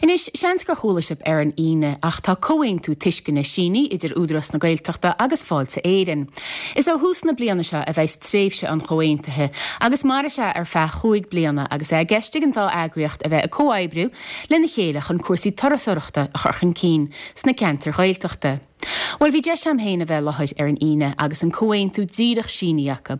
Anois, seans gur chuala sibh ar an Aoine, ach tá comhaontú tuisceana sínithe idir Údarás na Gaeltachta agus Fáilte Éireann. Is ó thús na bliana seo a bheas tréimhse an chomhaontaithe agus mairfidh sé ar feadh chúig bliana agus é i gceist ag an dá eagraíocht a bheith ag comhoibriú lena chéile chun cúrsaí turasóireachta a chur chun cinn sna ceantair Ghaeltachta. Bhuel, bhí deis a'm féin a bheith i láthair ar an Aoine agus an comhaontú díreach sínithe acu.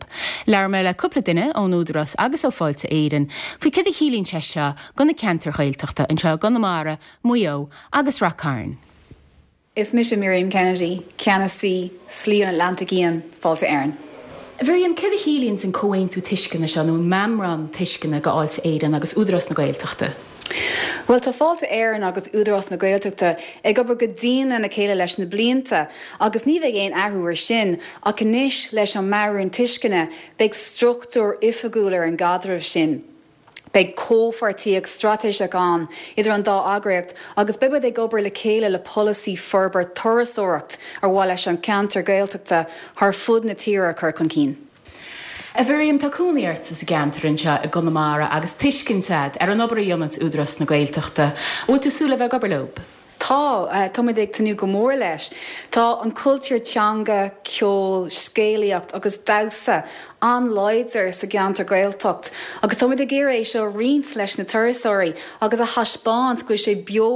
Labhair mé le cúpla duine ón Údarás agus ó Fáilte Éireann faoi céard a chiallaíonn sé seo do na ceantair Ghaeltachta anseo i gConamara, Maigh Eo agus Rath Cairn. Is mise Miriam Kennedy, Ceannasaí Slí an Atlantaigh Fhiáin, Fáilte Éireann. A Mhiriam, céard a chiallaíonns an comhaontú tuisceana seo nó an meamram tuisceana go Fháilte Éireann agus Údarás na Gaeltachta? Bhuel, tá Fáilte Éireann agus Údarás na Gaeltachta ag obair go dian lena chéile leis na blianta agus ní bheidh aon athrú ar sin ach anois leis an meabhrán tuisceana beidh struchtúr oifigiúil ar an gcaidreamh sin. Beidh comhpháirtíocht straitéiseach ann idir an dá eagraíocht agus beidh muid ag obair le chéile le polasaí forbairt turasóireacht ar mhaith leis an ceantar Gaeltachta thar fud na tíre a chur chun cinn. A Mhiriam, tá cónaí ort sa gceantar anseo i gConamara agus tuiscint a'd ar an obair a dhéananns Údarás na Gaeltachta. An bhfuil tú ag súil le bheith ag obair leob? Tá, tá muid ag tnúth go mór leis. Tá an cultúr teanga, ceol, scéalaíocht agus damhsa an-láidir sa gceantar Gaeltacht agus tá muid ag iarraidh é seo a roinnt leis na turasóirí agus a thaispeáint go bhfuil sé beo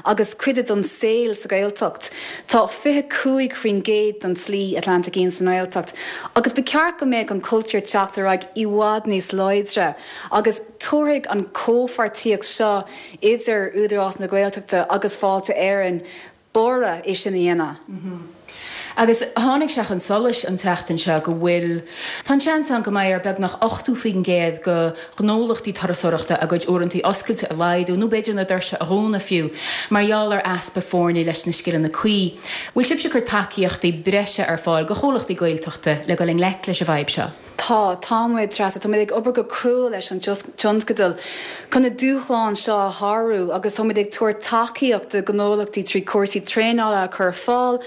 agus cuid den saol sa Ghaeltacht. Tá 25% den tSlí Atlantaigh Fhiáin sa nGaeltacht agus ba cheart go mbeadh an cultúr teacht ar aghaidh i bhfad níos láidre agus tabharfaidh an comhpháirtíocht seo idir Údarás na Gaeltachta agus Fáilte Éireann borradh é sin a dhéanamh. Agus tháinig sé chun solais an tseachtain seo go bhfuil, tá an seans ann go mbeidh ar beagnach 80% de ghnólachtaí turasóireachta a gcuid uaireantaí oscailte a laghdú nó b'fhéidir na doirse a dhúnadh fiú mar gheall ar easpa foirne leis na scileanna cuí. Bhfuil sibhse ag cur tacaíochtaí breise ar fáil do chomhlachtaí Gaeltachta le dul i ngleic leis an bhfadhb seo? Tá, tá muid, Treasa. Tá muid ag obair go crua leis an tionscadal chun na dúshláin seo a shárú agus tá muid ag tabhairt tacaíocht do ghnólachtaí trí chúrsaí traenála a chur ar fáil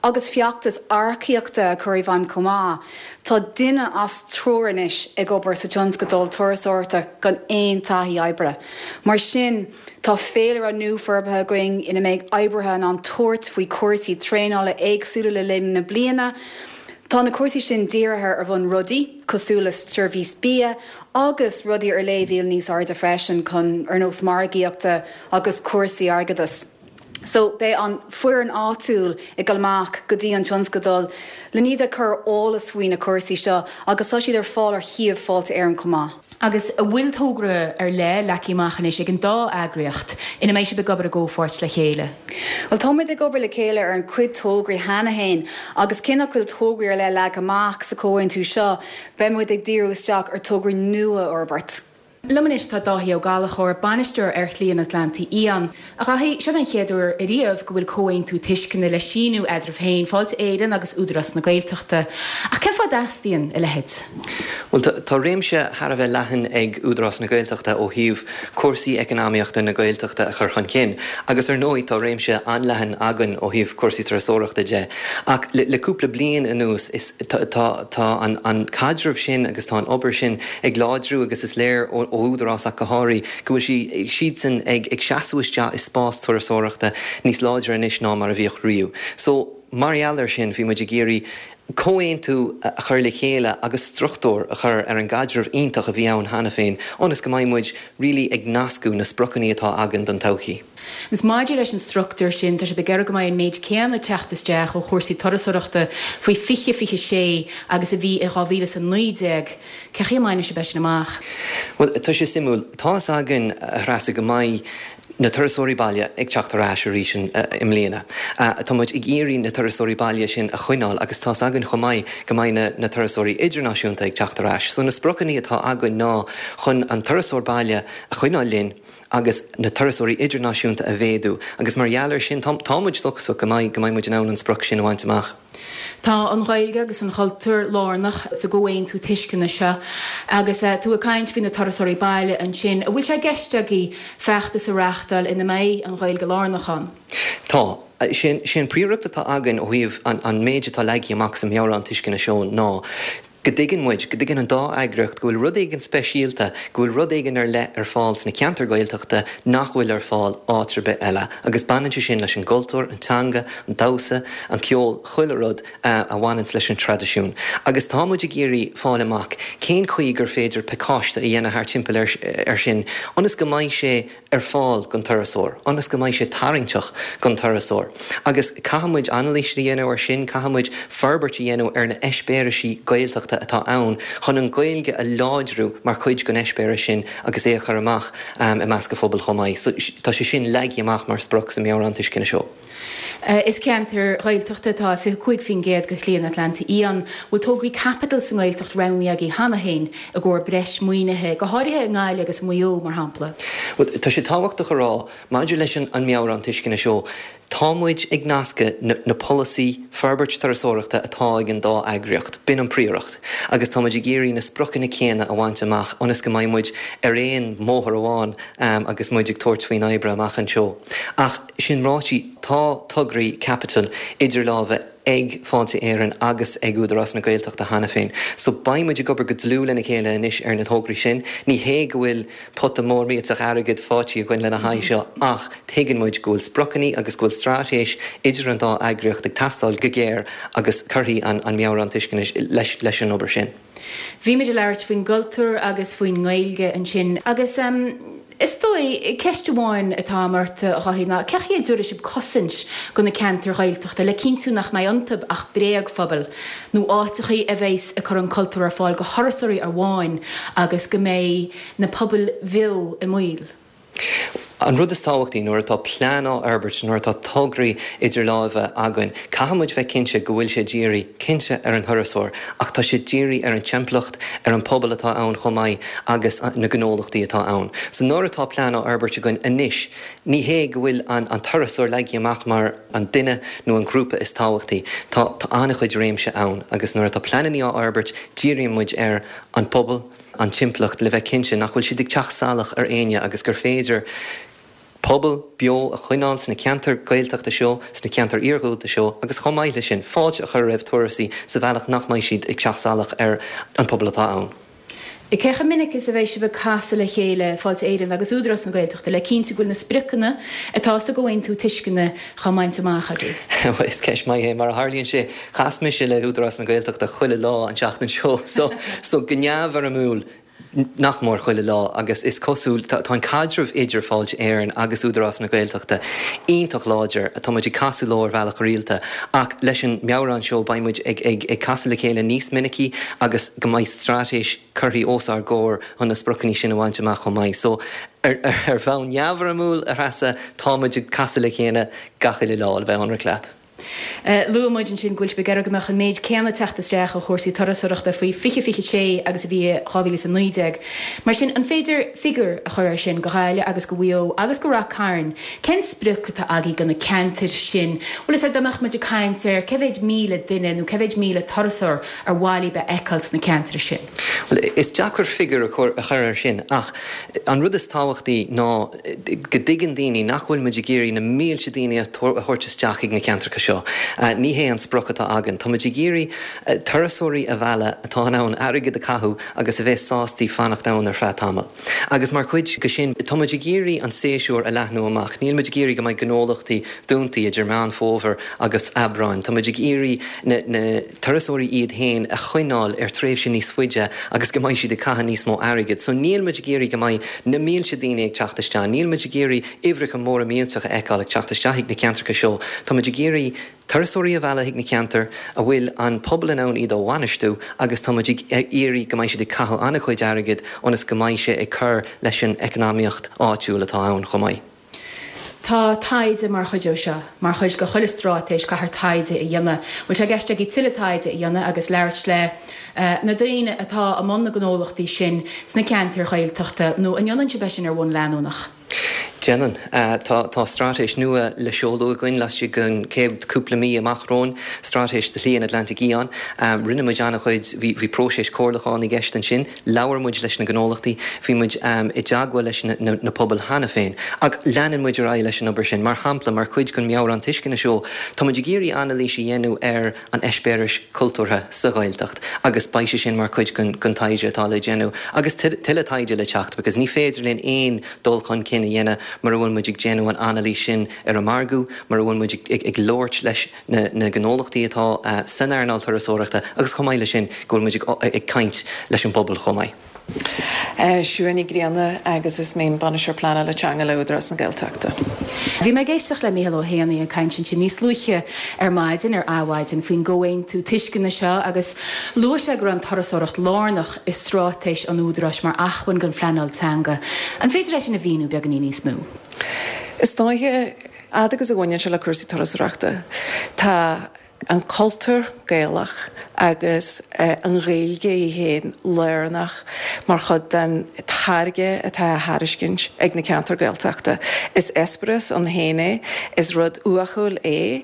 agus feachtas earcaíochta a chur i bhfeidhm chomh maith. Tá duine as triúr anois ag obair sa tionscadal turasóireachta gan aon taithí oibre. Mar sin, tá féilire nua forbartha againn ina mbeidh oibrithe in ann tabhairt faoi chúrsaí traenála éagsúla le linn na bliana. Tá na cúrsaí sin dírithe ar bhun rudaí cosúil le seirbhís bia agus rudaí ar léibhéal níos airde freisin chun ar nós margaíochta agus cúrsaí airgeadais. So beidh an foireann áitiúil ag dul amach go dtí an tionscadal len iad a chur ar eolas faoi na cúrsaí seo agus tá siad ar fáil ar shuíomh Fáilte Éireann chomh maith. Agus an bhfuil togra ar leith leagtha amach anois ag an dá eagraíocht ina mbeidh sibh ag obair i gcomhpháirt le chéile? Bhuel, tá muid ag obair le chéile ar an chuid tograí cheana féin agus cé nach bhfuil tograí ar leith leagtha amach sa chomhaontú seo, beidh muid ag díriú isteach ar tograí nua a fhorbairt. Liom anois tá Dáithí Ó Gallchóir, Bainisteoir ar Shlí an Atlantaigh Fhiáin. A Dháithí, seo an chéad uair ariamh go bhfuil comhaontú tuisceana le síniú eadraibh féin, Fáilte Éireann agus Údarás na Gaeltachta. Ach cén fáth a dteastaíonn a leithéid? Bhuel, tá réimse thar a bheith leathan ag Údarás na Gaeltachta ó thaobh cúrsaí eacnamaíochta na Gaeltachta a chur chun cinn agus ar ndóigh tá réimse an-leathan againn ó thaobh cúrsaí turasóireachta de. Ach le cúpla bliain anuas is tá an caidreamh sin agus tá an obair sin ag láidriú agus is léir ó Údarás ach go háirithe go bhfuil siadsan ag seasamh isteach i spás turasóireachta níos láidre anois ná mar a bhíodh riamh. So, mar gheall air sin, bhí muid ag iarraidh comhaontú a chur le chéile agus struchtúr a chur ar an gcaidreamh iontach a bhí ann cheana féin ionas go mbeidh muid really ag nascadh na spriocanna atá againn don todhchaí. Agus maidir leis an struchtúr sin, tá sibh ag iarraidh go mbeidh an méid céanna ag teacht isteach ó chúrsaí turasóireachta faoi 2026 agus a bhí i 2019. Cén chaoi a mbainfidh sibh é sin amach? Bhuel, tá sé suimiúil. Tá fhios againn, a Threasa, go mbeidh na turasóirí baile ag teacht ar ais arís i mbliana. Tá muid ag iarraidh na turasóirí baile sin a choinneáil agus tá fhios againn chomh maith go mbeidh na turasóirí idirnáisiúnta ag teacht ar ais. So na spriocanna atá againn ná chun an turasóir baile a choinneáil linn agus na turasóirí idirnáisiúnta a mhéadú agus mar gheall air sin tá muid dóchasach go mbeidh go mbeidh muid in ann an sprioc sin a bhaint amach. Tá an Ghaeilge agus an cultúr lárnach sa gcomhaontú tuisceana seo agus tú ag caint faoi na turasóirí baile ansin, an bhfuil sé i gceist agaibh feachtas a reáchtáil ina mbeidh an Ghaeilge lárnach ann? Tá. Sé an príomhrud atá againn ó thaobh an méid atá leagtha amach sa mheabhrán tuisceana seo ná. Go dtuigeann muid, go dtuigeann an dá eagraíocht go bhfuil rud éigin speisialta, go bhfuil rud éigin ar leith ar fáil sna ceantair Ghaeltachta nach bhfuil ar fáil áit ar bith eile agus baineann sé sin leis an gcultúr, an teanga, an damhsa, an ceol, chuile rud a bhaineanns leis an traidisiún. Agus tá muid ag iarraidh fáil amach cén chaoi gur féidir pacáiste a dhéanamh thart timpeall air sin ionas go mbeidh sé ar fáil don turasóir, ionas go mbeidh sé tarraingteach don turasóir. Agus caithfidh muid anailís a dhéanamh air sin, caithfidh muid forbairt a dhéanamh ar na heispéirisí Gaeltachta atá ann chun an Ghaeilge a láidriú mar chuid den eispéireas sin agus é a chur amach i measc an phobail chomh maith. So tá sé sin leagtha amach mar sprioc sa Mheabhrán Tuisceana seo. Is ceantar Ghaeltachta atá i 25% de Shlí an Atlantaigh Fhiáin. Bhfuil tograí caipitil sa nGaeltacht roghnaithe agaibh cheana féin i gcomhair breis maoinithe, go háirithe i nGaillimh agus i Maigh Eo, mar shampla? Bhuel, tá sé tábhachtach a rá, maidir leis an Meabhrán Tuisceana seo, tá muid ag nascadh na polasaí forbairt turasóireachta atá ag an dá eagraíocht, b'in an príoracht, agus tá muid ag iarraidh na spriocanna céanna a bhaint amach ionas go mbeidh muid ar aon mbóthar amháin agus muid ag tabhairt faoin oibre amach anseo. Ach sin ráite, tá tograí caipitil idir lámha ag Fáilte Éireann agus ag Údarás na Gaeltachta cheana féin. So beidh muid ag obair go dlúth lena chéile anois ar na tograí sin. Ní hé go bhfuil pota mór millteach airgid faighte againn lena haghaidh seo ach tuigeann muid go bhfuil spriocanna agus go bhfuil straitéis idir an dá eagraíocht ag teastáil go géar agus cuirfidh an Meabhrán Tuisceana leis an obair sin. Bhí muid ag labhairt faoin gcultúr agus faoin nGaeilge ansin agus is dóigh, ceist amháin atá agam ort, a Dháithí, ná cén chaoi a dtabharfaidh sibh cosaint do na ceantair Ghaeltachta le cinntiú nach mbeidh iontu ach bréagphobail nó áiteachaí a bheas ag cur an cultúr ar fáil do thurasóirí amháin agus go mbeidh na pobail bheo i mbaol? An rud is tábhachtaí nuair atá plean á fhorbairt, nuair atá tograí idir láimhe againn, caithfidh muid bheith cinnte go bhfuil sé dírithe, cinnte, ar an thurasóir, ach tá sé dírithe ar an timpeallacht, ar an pobal atá ann chomh maith agus na gnólachtaí atá ann. So nuair atá plean á fhorbairt againn anois, ní hé go bhfuil an turasóir leagtha amach mar an duine nó an grúpa is tábhachtaí. Tá an-chuid réimse ann agus nuair atá pleananna á fhorbairt, díríonn muid ar an bpobal, an timpeallacht le bheith cinnte nach bhfuil siad ag teacht salach ar éinne agus gur féidir pobal beo a choinneáil sna ceantair Ghaeltachta seo, sna ceantair iarghúlta seo agus chomh maith leis sin, fáilte a chur roimh turasóirí sa bhealach nach mbeidh siad ag teacht salach ar an pobal atá ann. Cé chomh minic is a bheidh sibh ag casadh le chéile, Fáilte Éireann agus Údarás na Gaeltachta, le cinntiú go bhfuil na spriocanna atá sa gComhaontú Tuisceana á mbaint amach agaibh? Bhuel, is ceist maith é. Mar a tharlaíonn sé, chas mise le hÚdarás na Gaeltachta chuile lá an tseachtain seo, so, so go neamhfhoirmiúil, nach mór chuile lá agus is cosúil, tá, tá an caidreamh idir Fáilte Éireann agus Údarás na Gaeltachta iontach láidir, tá muid ag casadh leo ar bhealach rialta ach leis an meabhrán seo beidh muid ag, ag, ag casadh le chéile níos minicí agus go mbeidh straitéis curtha os ár gcomhair chun na spriocanna sin a bhaint amach chomh maith. So, ar, ar bhonn neamhfhoirmiúil, a Threasa, tá muid ag casadh le chéile gach uile lá, le bheith ionraic leat. Luaigh muid ansin go bhfuil sibh ag iarraidh go mbeadh an méid céanna ag teacht isteach ó chúrsaí turasóireachta faoi 2026 agus a bhí i 2019. Mar sin, an féidir figiúr a chur air sin do Ghaillimh agus do Mhaigh Eo agus do Rath Cairn? Cén sprioc atá agaibh do na ceantair sin? Bhfuil a fhios agat dá mbeadh muid ag caint ar cé mhéid 1,000 duine nó cé mhéid 1,000 turasóir ar mhaith libh a fheiceáil sna ceantair sin? Bhuel, is deacair figiúr a chur air sin ach an rud is tábhachtaí ná go dtuigeann daoine nach bhfuil muid ag iarraidh na mílte daoine a thabhairt isteach chuig na ceantracha seo. Ní hé an sprioc atá againn. Tá muid ag iarraidh turasóirí a mhealladh atá in ann airgead a chaitheamh agus a bheas sástaí fanacht ann ar feadh tamaill. Agus mar chuid de sin, tá muid ag iarraidh an séasúr a leathnú amach. Níl muid ag iarraidh go mbeidh gnólachtaí dúntaí idir Meán Fómhair agus Aibreán. Tá muid ag iarraidh na turasóirí iad féin a choinneáil ar tréimhse níos faide agus go mbeidh siad ag caitheamh níos mó airgid. So níl muid ag iarraidh go mbeidh na mílte daoine ag teacht isteach. Níl muid ag iarraidh uimhreacha móra millteacha a fheiceáil ag teacht isteach chuig na ceantracha seo. Tá muid ag iarraidh turasóirí a mhealladh chuig na ceantair a bhfuil an pobal in ann iad a bhainistiú agus tá muid ag iarraidh go mbeidh siad ag caitheamh an-chuid airgid ionas go mbeidh sé ag cur leis an eacnamaíocht áitiúil atá ann chomh maith. Tá taighde mar chuid de seo. Mar chuid de chuile straitéis caithfear taighde a dhéanamh. Bhfuil sé i gceist agaibh tuilleadh taighde a dhéanamh agus labhairt le na daoine atá i mbun na gnólachtaí sin sna ceantair Ghaeltachta nó an ndéanann sibh é sin ar bhonn leanúnach? Déanann. Tá straitéis nua le seoladh againn laistigh den chéad cúpla mí amach romhainn, Straitéis do Shlí an Atlantaigh Fhiáin. Rinne muid an-chuid, bhí próiseas comhairliúcháin i gceist ansin, labhair muid leis na gnólachtaí, bhí muid i dteagmháil leis na pobail cheana féin. Ach leanann muid ar aghaidh leis an obair sin. Mar shampla, mar chuid den mheabhrán tuisceana seo, tá muid ag iarraidh anailís a dhéanamh ar an eispéireas cultúrtha sa Ghaeltacht agus beidh sé sin mar chuid den taighde atá le déanamh agus tuilleadh taighde le teacht because ní féidir linn aon dul chun cinn a dhéanamh mura bhfuil muid ag déanamh an anailís sin ar an margadh, mura bhfuil muid ag labhairt leis na gnólachtaí atá san earnáil turasóireachta agus chomh maith leis sin go bhfuil muid ag caint leis an bpobal chomh maith. Siún Ní Ghrianna agus is mé an Bainisteoir Pleanála Teanga le Údarás na Gaeltachta. Bhí mé ag éisteacht le Mícheál Ó hÉanaí ag caint ansin níos luaithe ar maidin ar Adhmhaidin faoin gcomhaontú tuisceana seo agus luaigh sé go raibh an turasóireacht lárnach i straitéis an Údaráis mar acmhainn don phleanáil teanga. An féidir é sin a mhíniú beagáinín níos mó? Is dóiche, fhad agus a bhaineann sé le cúrsaí turasóireachta, tá an cultúr Gaelach agus an Ghaeilge í féin lárnach mar chuid den táirge atá á thairiscint ag na ceantair Gaeltachta. Is eispéireas ann féin é, is rud uathúil é.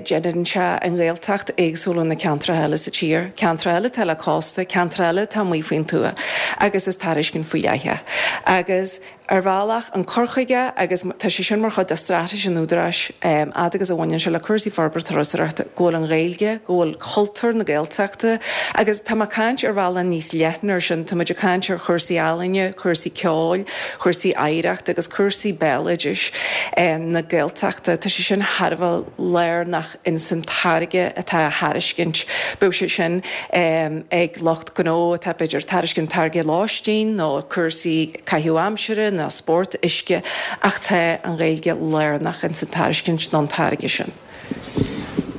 Déanann sé an Ghaeltacht éagsúil ó na ceantracha eile sa tír, ceantracha eile atá le cósta, ceantracha eile atá amuigh faoin tuath, agus is tairiscint faoi leith é. Agus ar bhealach, an cur chuige, agus tá sé sin mar chuid de straitéis an Údaráis, fhad agus a bhaineann sé le cúrsaí forbairt turasóireachta, go bhfuil an Ghaeilge, go bhfuil cultúr na Gaeltachta, agus tá mé ag caint ar bhealach níos leithne ar sin, tá muid ag caint ar chúrsaí ealaíne, cúrsaí ceoil, chúrsaí oidhreachta agus cúrsaí béaloidis na Gaeltachta, tá sé sin thar a bheith lárnach ins an táirge atá á thairiscint, bíodh sé sin ag lucht gnó atá b'fhéidir ag tairiscint táirge lóistín nó cúrsaí caitheamh aimsire nó spórt uisce ach tá an Ghaeilge lárnach ins an tairiscint nó an táirge sin.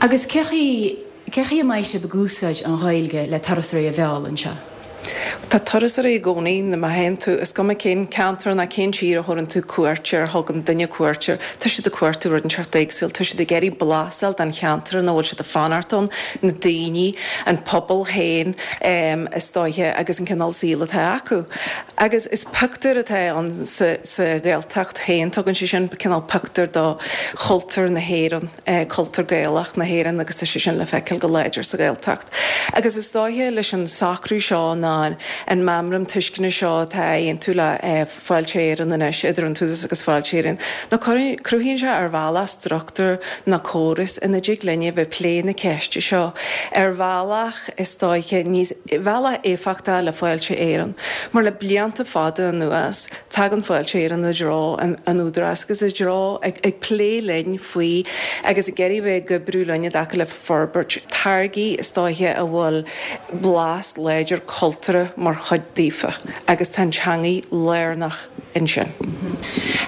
Agus cé chaoi Cé chaoi a mbeidh sibh ag úsáid an Ghaeilge le turasóirí a mhealladh anseo? Tá turasóirí i gcónaí, má théann tú, is cuma cén ceantar ná cén tír a thabharann tú cuairt ar, a thugann duine cuairt air, tá siad ag cuartú rud inteacht éagsúil, tá siad ag iarraidh blas a fháil den cheantar ina bhfuil siad ag fanacht ann, na daoine, an pobal féin is dóiche agus an cineál saoil atá acu. Agus is pictiúr atá ann sa Ghaeltacht féin, tugann sé sin cineál pictiúr do chultúr na hÉireann. cultúr Gaelach na hÉireann agus tá sé sin le feiceáil go láidir sa Ghaeltacht. Agus is dóiche leis an socrú seo ná an meamram tuisceana seo atá á aontú le Fáilte Éireann anois, idir an tÚdarás agus Fáilte Éireann, ná cruthaíonn sé ar bhealach struchtúr ná córas ina dtig linne bheith ag plé na ceiste seo ar bhealach is dóiche níos, bhealach éifeachtach le Fáilte Éireann. Mar le blianta fada anuas, Tagann Fáilte Éireann i dtreo an Údaráis agus i dtreo ag plé linn faoi agus ag iarraidh bheith ag oibriú linn i dtaca le forbairt táirgí is dóiche a bhfuil blas láidir cultúrtha mar chuid daofa agus tá an teangaidh lárnach ansin.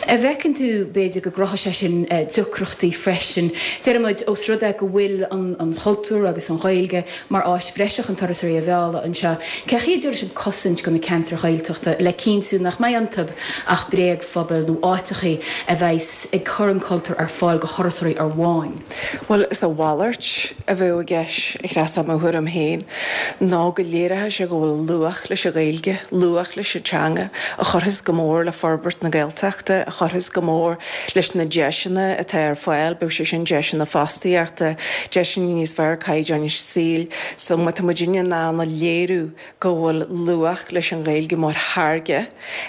An bhfeiceann tú, b'fhéidir, go gcruthóidh sé sin deacrachtaí freisin? Deir muid, ós rud é go bhfuil an cultúr agus an Ghaeilge mar áis bhreise chun turasóirí a mhealladh anseo. Cé chaoi a dtabharfaidh sibh cosaint do na ceantair Ghaeltachta le cinntiú nach mbeidh iontu ach bréagphobail nó áiteachaí a bheas ag cur an cultúr ar fáil do thurasóirí amháin? Bhuel, is a mhalairt a bheadh i gceist, a Threasa, i mo thuairim féin, ná go léireoidh sé go bhfuil luach leis an Ghaeilge, luach leis an teanga, a chuirfeas go mór le forbairt na Gaeltachta, a chuirfeas go mór leis na deiseanna atá ar fáil, bíodh sé sin deiseanna fostaíochta, deiseanna níos fearr caighdeáin saoil, so má tá muidinne in ann a léiriú go bhfuil luach leis an Ghaeilge mar tháirge,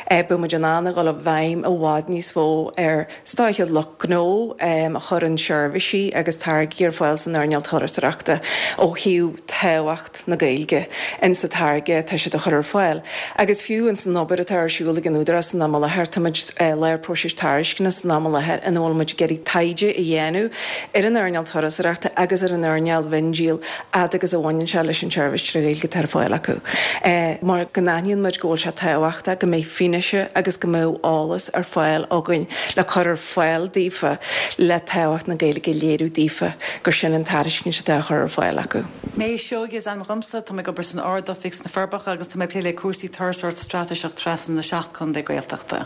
beidh muid in ann a dhul i bhfeidhm i bhfad níos mó ar, is dóiche, lucht gnó a chuireann seirbhísí agus táirgí ar fáil san earnáil turasóireachta ó thaobh tábhacht na Gaeilge in sa táirge atá siad a chur ar fáil. Agus fiú ins an obair atá ar siúl ag an Údarás san am i láthair, táimid i lár próisis tairisceana san am i láthair ina bhfuil muid ag iarraidh taighde a dhéanamh ar an earnáil turasóireachta agus ar an earnáil mhiondíol fhad agus a bhaineann sé leis an tseirbhís trí Ghaeilge atá ar fáil acu. Mar go n-aithníonn muid go bhfuil sé tábhachtach go mbeidh fianaise agus go mbeadh eolas ar fáil againn le cur ar fáil daofa le tábhacht na Gaeilge a léiriú daofa gur sin an tairiscint atá á chur ar fáil acu. Méabh Seoighe is ainm dhomsa, tá mé ag obair san Ard-Oifig sna Forbacha agus tá mé ag plé le cúrsaí turasóireacht straitéiseach trasna na seacht contae Gaeltachta.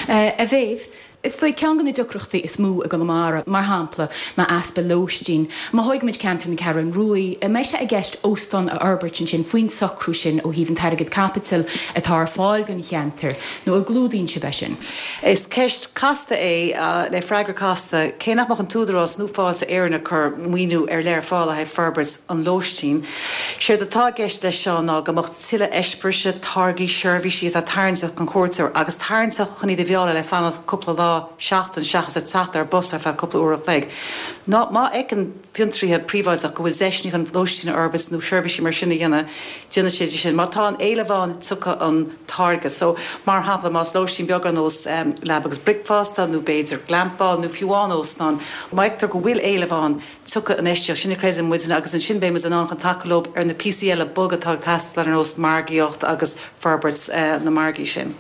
A Mhéabh, Is dóigh, ceann de na deacrachtaí is mó i gConamara, mar shampla, ná easpa lóistín. Má thógaimid ceantar na Ceathrún Ruaidh, an mbeidh sé i gceist óstán a fhorbairt ansin faoin socrú sin ó thaobh an t-airgead caipitil atá ar fáil don cheantar, nó an gclúdaíonn sibh é sin? Is ceist casta é le freagra casta. Cé nach mbeadh an tÚdarás nó Fáilte Éireann ag cur maoiniú ar leith ar fáil le haghaidh forbairt an lóistín, séard atá i gceist leis seo ná go mbeadh tuilleadh eispéiris, táirgí, seirbhísí atá tarraingteach don chuairteoir agus tarraingteach chun iad a mhealladh le fanacht cúpla lá, seachtain, seachas ag teacht ar bus ar feadh cúpla uair a chloig. Ná má fheiceann fiontraíthe príobháideach go bhfuil deiseanna chun lóistín a fhorbairt nó seirbhísí mar sin a dhéanamh, déanfaidh siad sin. Má tá an éileamh ann, tiocfaidh an táirge. So, mar shampla, más lóistín beag ar nós leaba agus bricfeasta nó b'fhéidir glampáil nó fiú amháin óstán, má fheictear go bhfuil éileamh ann, tiocfaidh an infheistíocht sin, a chreideann muidne, agus ansin beidh muid in ann chun tacú leo ar na píosaí eile boga atá ag teastáil ar nós margaíocht agus forbairt na margaí sin.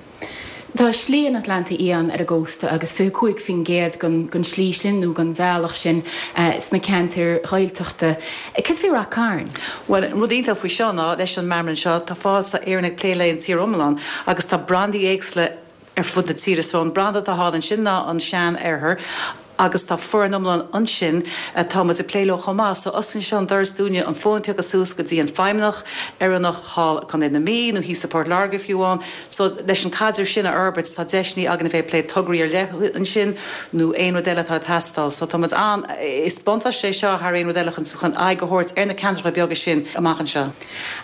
Tá Slí an Atlantaigh Fhiáin ar an gcósta agus 25% den tslí sin nó den bhealach sin sna ceantair Ghaeltachta. Cad faoi Rath Cairn? Bhuel, an rud iontach faoi seo ná leis an meamram seo tá Fáilte Éireann ag plé le an tír iomlán agus tá brandaí éagsúla ar fud na tíre. So an branda atá thall ansin ná an Sean-Oirthear agus tá foireann iomlán ansin atá muid ag plé leo chomh maith. So osclaíonn seo an doras dúinne an fón a phiocadh suas go dtí an feidhmeannach Éireannach thall i Contae na Mí nó thíos i Port Láirge fiú amháin. So leis an caidreamh sin a fhorbairt tá deiseanna againn a bheith ag plé tograí ar leith ansin nó aon rud eile atá ag teastáil. So tá muid an, is buntáiste é seo thar aon rud eile chun chun aghaidh a thabhairt ar na ceantracha beaga sin amach anseo.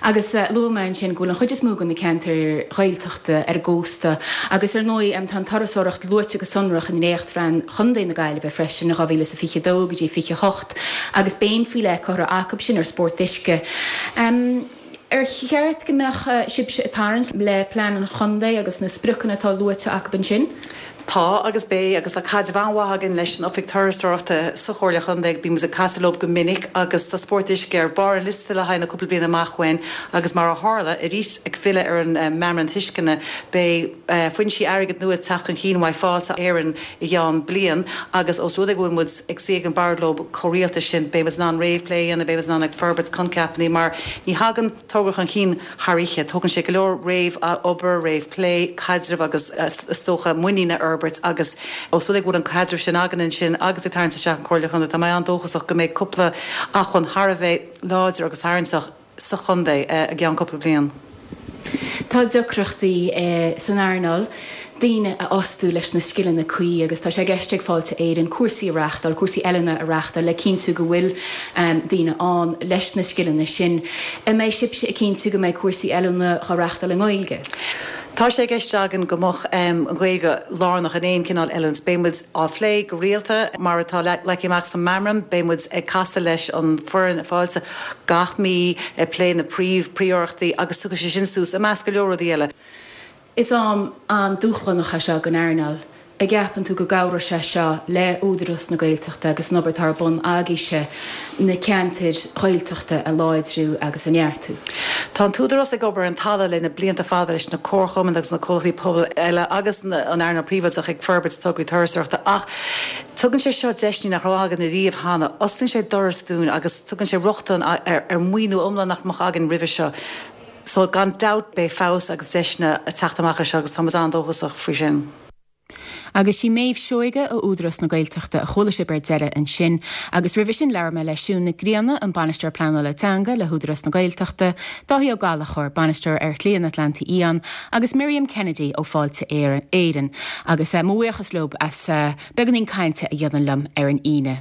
Agus luaigh mé ansin go bhfuil an chuid is mó de na ceantair Ghaeltachta ar an gcósta agus ar ndóigh tá an turasóireacht luaite go sonrach i ndréachtphlean Chontae na Gaillimhe freisin, 2022 go dtí 28, agus béim faoi leith curtha acu sin ar spórt uisce. Ar cheart go mbeadh sibhse ag tarraingt le plean an chontae agus na spriocanna atá luaite acu ansin? Tá agus beidh agus tá caidreamh an-mhaith againn leis an Oifig Turasóireachta sa Chomhairle Chontae. Bíonn muid ag casadh leo go minic agus tá spórt uisce ar barr an liosta le haghaidh na cúpla bliain amach uainn agus mar a tharla, arís ag filleadh ar an Meamram Tuisceana, beidh foinsí airgid nua ag teacht chun cinn uaidh Fáilte Éireann i gceann bliain agus ós rud é go bhfuil muid ag suí ag an bord leo chomh rialta sin, beidh muid in ann réamhphlé a dhéanamh, beidh muid in ann ag forbairt coincheapanna mar ní thagann togra chun cinn thar oíche. Tógann sé go leor réamh-obair, réamhphlé, caidreamh agus is dócha muinín a fhorbairt agus ós rud é go bhfuil an caidreamh sin againn ansin agus ag tarraingt isteach an Chomhairle Chontae, tá mé an-dóchasach go mbeidh cúpla acmhainn thar a bheith láidir agus tarraingteach sa chontae i gceann cúpla bliain. Tá deacrachtaí san earnáil daoine a fhostú leis na scileanna cuí agus tá sé i gceist ag Fáilte Éireann cúrsaí a reáchtáil, cúrsaí oiliúna a reáchtáil le cinntiú go bhfuil daoine ann leis na scileanna sin. An mbeidh sibhse ag cinntiú go mbeidh cúrsaí oiliúna á reáchtáil i nGaeilge? Tá sé i gceist againn go mbeadh an Ghaeilge lárnach in aon cineál oiliúint. Beidh muid á phlé go rialta, mar atá leagtha amach sa meamram. Beidh muid ag casadh leis an foireann Fáilte gach mí ag plé na príomh príorachtaí agus tiocfaidh sé sin suas i measc go leor rudaí eile. Is am an-dúshlánach é seo don earnáil. An gceapann tú go gcabhróidh sé seo le Údarás na Gaeltachta agus an obair atá ar bun agaibhse na ceantair Ghaeltachta a láidriú agus a neartú? Tá an tÚdarás ag obair ar an talamh le na blianta fada leis na comharchumainn agus na comhlachtaí pobail eile agus an earnáil príobháideach ag forbairt tograí turasóireachta ach tugann sé seo deiseanna nach raibh againn ariamh cheana. Osclaíonn sé doras dúinn agus tugann sé rochtain ar mhaoiniú iomlán nach mbeadh againn roimhe seo. So gan dabht beidh feabhas agus deiseanna ag teacht amach as seo agus tá muid an-dóchasach faoi sin. Agus sí Méabh Seoige ó Údarás na Gaeltachta a chuala sibh ar deireadh ansin. Agus roimhe sin labhair mé le Siún Nic Grianna, an Bainisteoir Pleanála Teanga le hÚdarás na Gaeltachta, Dáithí Ó Gallchóir, Bainisteoir ar Shlí an Atlantaigh Fhiáin, agus Miriam Kennedy ó Fáilte Éireann. Agus mo bhuíochas leo as beagáinín cainte a dhéanamh liom ar an Aoine.